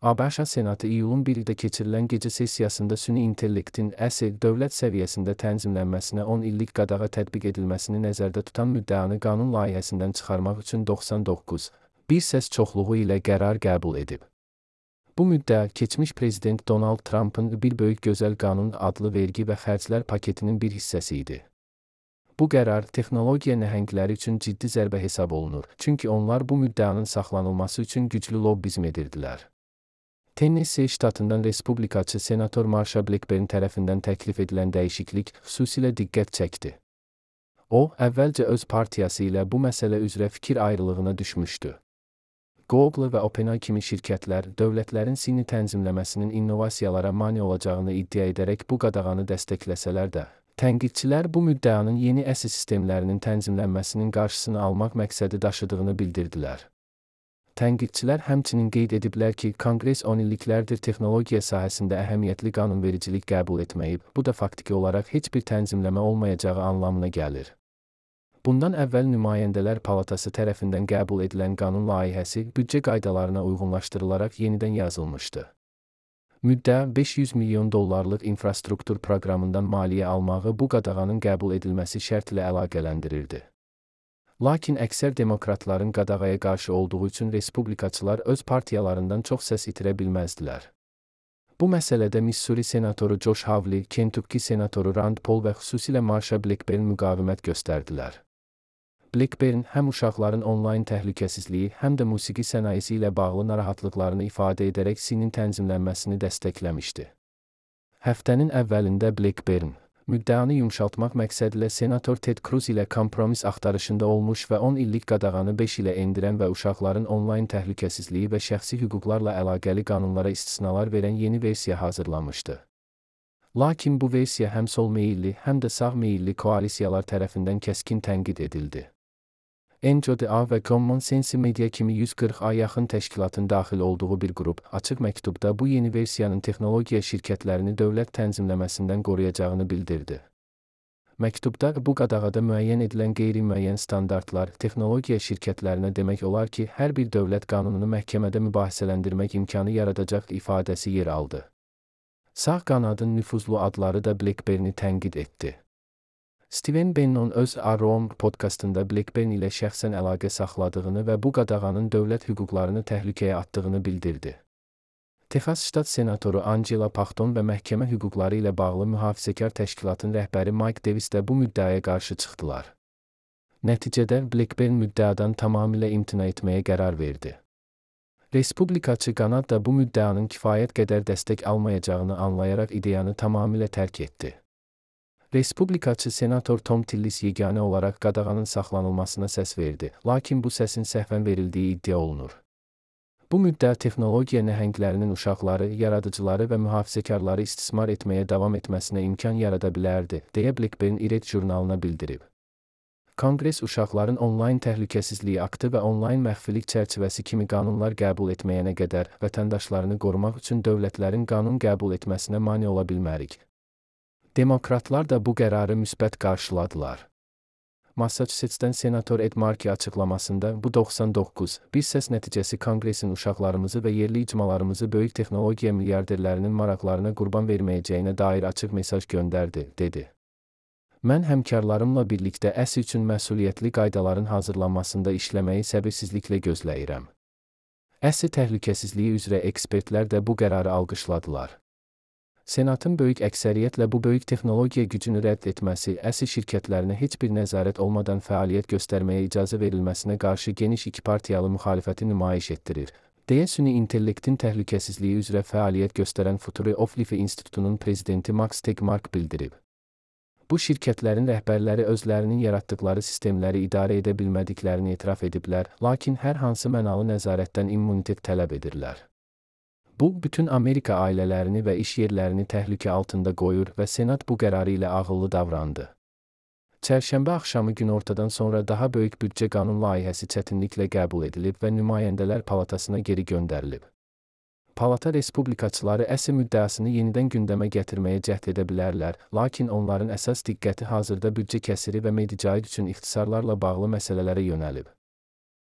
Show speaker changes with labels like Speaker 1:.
Speaker 1: ABŞ Senatı iyulun 1-də keçirilən gecə sessiyasında süni intellektin əsl dövlət səviyyəsində tənzimlənməsinə 10 illik qadağa tətbiq edilməsini nəzərdə tutan müddəanı qanun layihəsindən çıxarmaq üçün 99 səs çoxluğu ilə qərar qəbul edib. Bu müddəa, keçmiş prezident Donald Trump'ın Bir Böyük Gözəl Qanun adlı vergi və xərclər paketinin bir hissəsi idi. Bu qərar texnologiya nəhəngləri üçün ciddi zərbə hesab olunur, çünki onlar bu müddəanın saxlanılması üçün güclü lobbizm edirdilər. Tennessee ştatından respublikaçı senator Marsha Blackburn tərəfindən təklif edilən dəyişiklik xüsusilə diqqət çəkdi. O, əvvəlcə öz partiyası ilə bu məsələ üzrə fikir ayrılığına düşmüşdü. Google və OpenAI kimi şirkətlər, dövlətlərin süni tənzimləməsinin innovasiyalara mane olacağını iddia edərək bu qadağanı dəstəkləsələr də, tənqidçilər bu müddəanın yeni əsl sistemlərinin tənzimlənməsinin qarşısını almaq məqsədi daşıdığını bildirdilər. Tənqidçilər həmçinin qeyd ediblər ki, Konqres 10 illiklərdir texnologiya sahəsində əhəmiyyətli qanunvericilik qəbul etməyib, bu da faktiki olaraq heç bir tənzimləmə olmayacağı anlamına gəlir. Bundan əvvəl Nümayəndələr Palatası tərəfindən qəbul edilən qanun layihəsi büdcə qaydalarına uyğunlaşdırılaraq yenidən yazılmışdı. Müddəa $500 milyon infrastruktur proqramından maliyyə almağı bu qadağanın qəbul edilməsi şərtlə əlaqələndirirdi. Lakin əksər demokratların qadağaya qarşı olduğu üçün respublikaçılar öz partiyalarından çox səs itirə bilməzdilər. Bu məsələdə Missouri senatoru Josh Hawley, Kentucky senatoru Rand Paul və xüsusilə Marsha Blackburn müqavimət göstərdilər. Blackburn həm uşaqların onlayn təhlükəsizliyi, həm də musiqi sənayesi ilə bağlı narahatlıqlarını ifadə edərək süni tənzimlənməsini dəstəkləmişdi. Həftənin əvvəlində Blackburn müddəanı yumşaltmaq məqsədilə senator Ted Cruz ilə kompromis axtarışında olmuş və 10 illik qadağanı 5 ilə endirən və uşaqların onlayn təhlükəsizliyi və şəxsi hüquqlarla əlaqəli qanunlara istisnalar verən yeni versiya hazırlamışdı. Lakin bu versiya həm sol meyilli, həm də sağ meyilli koalisiyalar tərəfindən kəskin tənqid edildi. NGO və Common Sense Media kimi 140'a yaxın təşkilatın daxil olduğu bir qrup, açıq məktubda bu yeni versiyanın texnologiya şirkətlərini dövlət tənzimləməsindən qoruyacağını bildirdi. Məktubda bu qadağada müəyyən edilən qeyri-müəyyən standartlar texnologiya şirkətlərinə demək olar ki, hər bir dövlət qanununu məhkəmədə mübahisələndirmək imkanı yaradacaq ifadəsi yer aldı. Sağ qanadın nüfuzlu adları da Blackburn'i tənqid etdi. Stephen Bannon öz Around podkastında Blackburn ilə şəxsən əlaqə saxladığını və bu qadağanın dövlət hüquqlarını təhlükəyə atdığını bildirdi. Texas ştat senatoru Angela Paxton və məhkəmə hüquqları ilə bağlı mühafizəkar təşkilatın rəhbəri Mike Davis də bu müddəaya qarşı çıxdılar. Nəticədə Blackburn müddəadan tamamilə imtina etməyə qərar verdi. Respublikaçı qanad da bu müddəanın kifayət qədər dəstək almayacağını anlayaraq ideyanı tamamilə tərk etdi. Respublikaçı senator Tom Tillis yeganə olaraq qadağanın saxlanılmasına səs verdi, lakin bu səsin səhvən verildiyi iddia olunur. Bu müddəa texnologiya nəhənglərinin uşaqları, yaradıcıları və mühafizəkarları istismar etməyə davam etməsinə imkan yarada bilərdi, deyə Blackburn İRED jurnalına bildirib. Konqres uşaqların onlayn təhlükəsizliyi aktı və onlayn məxfilik çərçivəsi kimi qanunlar qəbul etməyənə qədər vətəndaşlarını qorumaq üçün dövlətlərin qanun qəbul etməsinə mane ola bilmərik. Demokratlar da bu qərarı müsbət qarşıladılar. Massachusetts'dən senator Ed Markey açıqlamasında bu 99 bir səs nəticəsi Konqresin uşaqlarımızı və yerli icmalarımızı böyük texnologiya milyarderlərinin maraqlarına qurban verməyəcəyinə dair açıq mesaj göndərdi, dedi. Mən həmkarlarımla birlikdə əsl üçün məsuliyyətli qaydaların hazırlanmasında işləməyi səbirsizliklə gözləyirəm. Əsl təhlükəsizliyi üzrə ekspertlər də bu qərarı alqışladılar. Senatın böyük əksəriyyətlə bu böyük texnologiya gücünü rədd etməsi, əsl şirkətlərinə heç bir nəzarət olmadan fəaliyyət göstərməyə icazə verilməsinə qarşı geniş ikipartiyalı müxalifəti nümayiş etdirir, deyə süni intellektin təhlükəsizliyi üzrə fəaliyyət göstərən Future of Life İnstitutunun prezidenti Max Tegmark bildirib. Bu şirkətlərin rəhbərləri özlərinin yaratdıkları sistemləri idarə edə bilmədiklərini etiraf ediblər, lakin hər hansı mənalı nəzarətdən immunitet tələb edirlər. Bu, bütün Amerika ailələrini və iş yerlərini təhlükə altında qoyur və Senat bu qərarı ilə ağıllı davrandı. Çərşənbə axşamı günortadan sonra daha böyük büdcə qanun layihəsi çətinliklə qəbul edilib və Nümayəndələr Palatasına geri göndərilib. Palata respublikaçıları əsl müddəasını yenidən gündəmə gətirməyə cəhd edə bilərlər, lakin onların əsas diqqəti hazırda büdcə kəsiri və Medicaid üçün ixtisarlarla bağlı məsələlərə yönəlib.